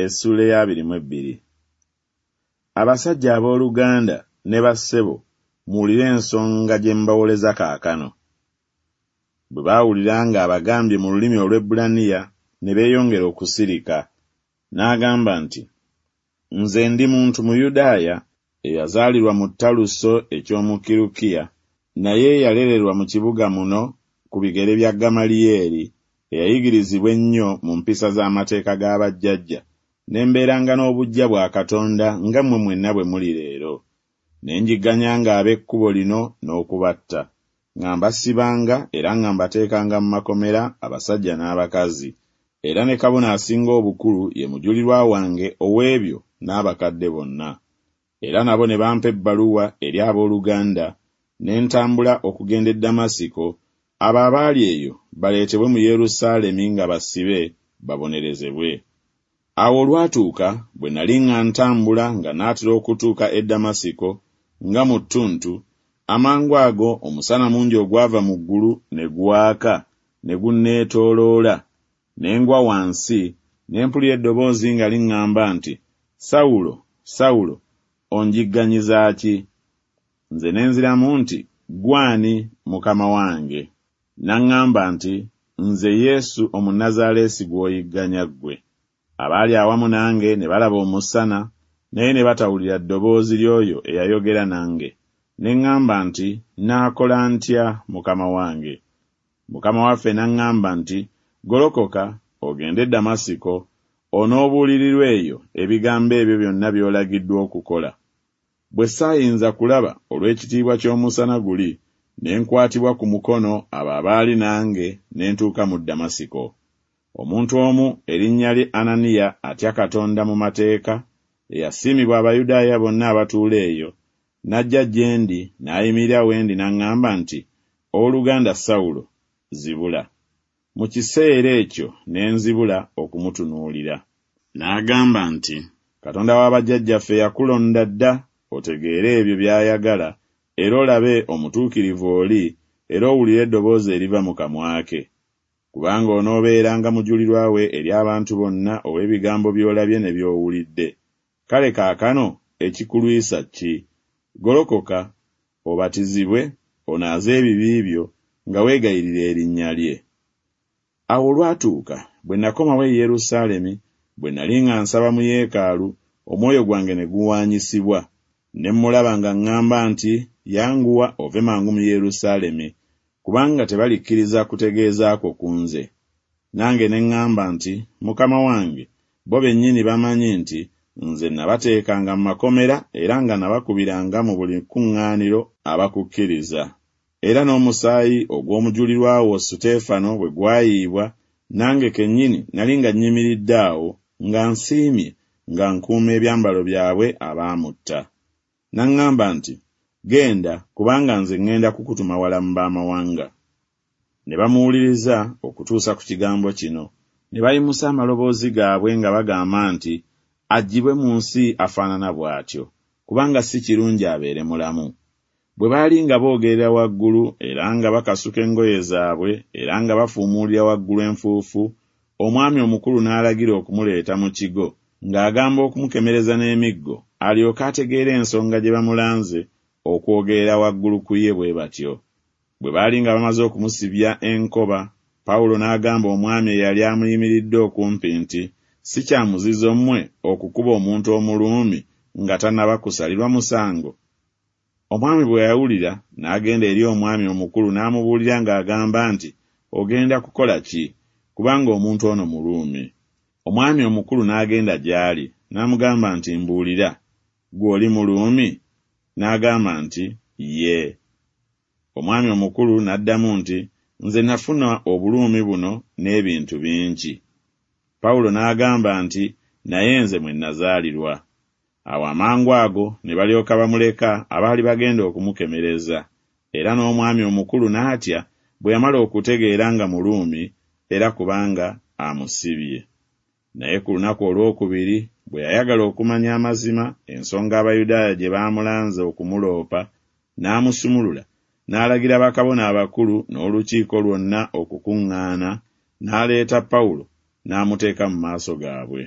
Essuula ey'abiri mu ebbiri. Abasajja abooluganda ne bassebo, muwulire ensonga gye mbawoleza kaakano. Bwe baawulira ng'abagambye mu lulimi Olwebbulaniya, ne beeyongera okusirika. N'agamba nti, Nze ndi muntu Muyudaaya, eyazaalirwa mu Taluso eky'omu Kirukiya, naye eyalererwa mu kibuga muno ku bigere bya Gamaliyeri, eyayigirizibwa ennyo mu mpisa z'amateeka ga bajjajja, ne mbeeranga n'obuggya bwa Katonda nga mmwe mwenna bwe muli leero. Ne njigganyanga ab'Ekkubo lino n'okubatta, nga mbasibanga era nga mbateekanga mu makomera abasajja n'abakazi, era ne kabona asinga obukulu ye mujulirwa wange ow'ebyo n'abakadde bonna. Era nabo ne bampa ebbaluwa eri abooluganda, ne ntambula okugenda e Ddamasiko, abo abaali eyo baleetebwe mu Yerusaalemi nga basibe, babonerezebwe. Awo olwatuuka, bwe nali nga ntambula nga naatera okutuuka e Ddamasiko, nga mu ttuntu, amangu ago omusana mungi ogwava mu ggulu ne gwaka ne gunneetooloola, ne ngwa wansi, ne mpulira eddoboozi nga liŋŋamba nti, Sawulo, Sawulo, onjigganyiza ki? Nze ne nziramu nti, Ggwe ani, Mukama wange? N'aŋŋamba nti, Nze Yesu Omunnazaaleesi gw'oyigganya ggwe. Abaali awamu nange ne balaba omusana, naye ne batawulira ddoboozi ly'oyo eyayogera nange. Ne ŋŋamba nti, Nnaakola ntya, Mukama wange? Mukama waffe n'aŋŋamba nti, Golokoka, ogende e Damasiko, onoobuulirirwa eyo ebigambo ebyo byonna by'olagiddwa okukola. Bwe saayinza kulaba olw'ekitiibwa ky'omusana guli, ne nkwatibwa ku mukono abo abaali nange, ne ntuuka mu Damasiko. Omuntu omu erinnya lye Ananiya atya Katonda mu mateeka, eyasiimibwa Abayudaaya bonna abatuula eyo, n'ajja gye ndi, n'ayimirira we ndi n'aŋŋamba nti, Ow'oluganda Sawulo, zibula. Mu kiseera ekyo ne nzibula okumutunuulira. N'agamba nti, Katonda wa bajjajjaffe yakulonda dda otegeere ebyo by'ayagala era olabe Omutuukirivu oli era owulire eddoboozi eriva mu kamwa ke. Kubanga onoobeeranga mujulirwa we eri abantu bonna ow'ebigambo by'olabye ne by'owulidde. Kale kaakano ekikulwisa ki? Golokoka, obatizibwe, onaaze ebibi byo, nga weegayirira erinnya lye. Awo olwatuuka, bwe nakomawo e Yerusaalemi, bwe nali nga nsaba mu yeekaalu, omwoyo gwange ne guwaanyisibwa, ne mmulaba ng'aŋŋamba nti, Yanguwa ove mangu mu Yerusaalemi, kubanga tebalikkiriza kutegeeza kwo ku nze. Nange ne ŋŋamba nti, Mukama wange, bo bennyini bamanyi nti nze nabateekanga mu makomera era nga nabakubiranga mu buli kkuŋŋaaniro abakukkiriza. Era n'omusaayi ogw'omujulirwa wo Suteefano bwe gwayiibwa, nange kennyini nali nga nnyimiridde awo, nga nsiimye, nga nkuuma ebyambalo byabwe abaamutta. N'aŋŋamba nti, Genda, kubanga nze ŋŋenda kukutuma wala mu b'amawanga. Ne bamuwuliriza okutuusa ku kigambo kino, ne bayimusa amaloboozi gaabwe nga bagamba nti, Aggyibwe mu nsi afaanana bw'atyo, kubanga si kirungi abeere mulamu. Bwe baali nga boogerera waggulu era nga bakasuka engoye zaabwe era nga bafuumuulira waggulu enfuufu, omwami omukulu n'alagira okumuleeta mu kigo, ng'agamba okumukemereza n'emiggo, alyoke ategeere ensonga gye bamulanze okwogerera waggulu ku ye bwe batyo. Bwe baali nga bamaze okumusibya enkoba, Pawulo n'agamba omwami eyali amuyimiridde okumpi nti, Si kya muzizo mmwe okukuba omuntu Omuruumi nga tannaba kusalirwa musango? Omwami bwe yawulira, n'agenda eri omwami omukulu n'amubuulira ng'agamba nti, Ogenda kukola ki? Kubanga omuntu ono Muruumi. Omwami omukulu n'agenda gy'ali, n'amugamba nti, Mbuulira, ggwe oli Muruumi? N'agamba nti, Yee. Omwami omukulu n'addamu nti, Nze nafuna Oburuumi buno n'ebintu bingi. Pawulo n'agamba nti, Naye nze mwe nnazaalirwa. Awo amangu ago ne balyoka bamuleka abaali bagenda okumukemereza, era n'omwami omukulu n'atya bwe yamala okutegeera nga Muruumi, era kubanga amusibye. Naye ku lunaku olw'okubiri, bwe yayagala okumanya amazima ensonga Abayudaaya gye baamulanze okumuloopa, n'amusumulula, n'alagira bakabona abakulu n'olukiiko lwonna okukuŋŋaana, n'aleeta Pawulo, n'amuteeka mu maaso gaabwe.